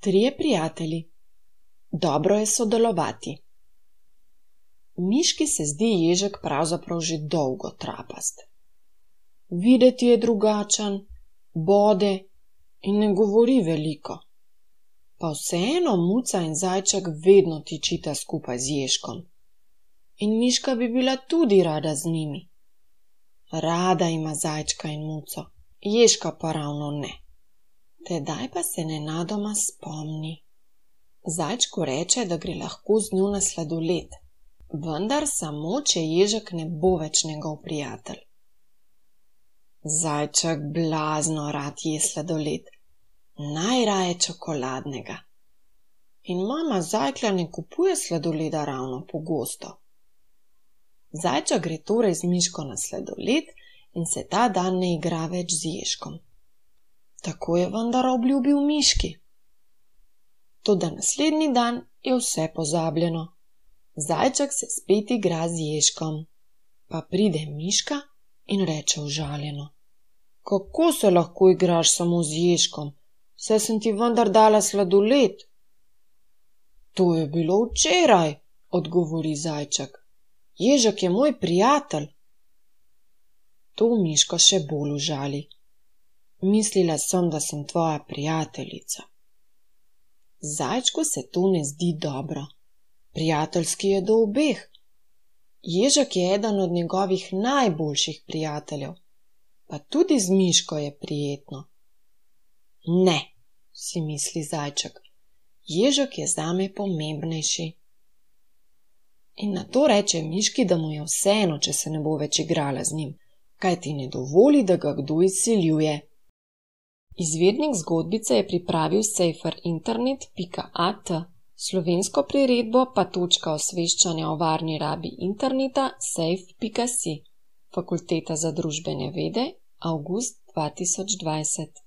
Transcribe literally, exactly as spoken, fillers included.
Trije prijatelji. Dobro je sodelovati. Miški se zdi ježek pravzaprav že dolgo trapast. Videti je drugačen, bode in ne govori veliko. Pa vseeno Muca in Zajček vedno tičita skupaj z ježkom. In Miška bi bila tudi rada z njimi. Rada ima Zajčka in Muco, ježka pa ravno ne. Tedaj pa se nenadoma spomni. Zajčku reče, da gre lahko z njo na sladoled, vendar samo, če ježek ne bo več njegov prijatelj. Zajček blazno rad je sladoled, najraje čokoladnega. In mama Zajklja ne kupuje sladoleda ravno pogosto. Zajček gre torej z Miško na sladoled in se ta dan ne igra več z ježkom. Tako je vendar obljubil Miški. Toda naslednji dan je vse pozabljeno. Zajček se spet igra z ježkom. Pa pride Miška in reče užaljeno: Kako se lahko igraš samo z ježkom? Saj sem ti vendar dala sladoled. To je bilo včeraj, odgovori Zajček. Ježek je moj prijatelj. To Miško še bolj užali. Mislila sem, da sem tvoja prijateljica. Zajčku se to ne zdi dobro. Prijateljski je do obeh. Ježek je eden od njegovih najboljših prijateljev, pa tudi z Miško je prijetno. Ne, si misli Zajček, ježek je zame pomembnejši. In nato reče Miški, da mu je vseeno, če se ne bo več igrala z njim, kajti ne dovoli, da ga kdo izsiljuje. Izvednik zgodbice je pripravil sejfer internet pika at, slovensko priredbo pa točka osveščanja o varni rabi interneta sejf pika si, Fakulteta za družbene vede, avgust dva tisoč dvajset.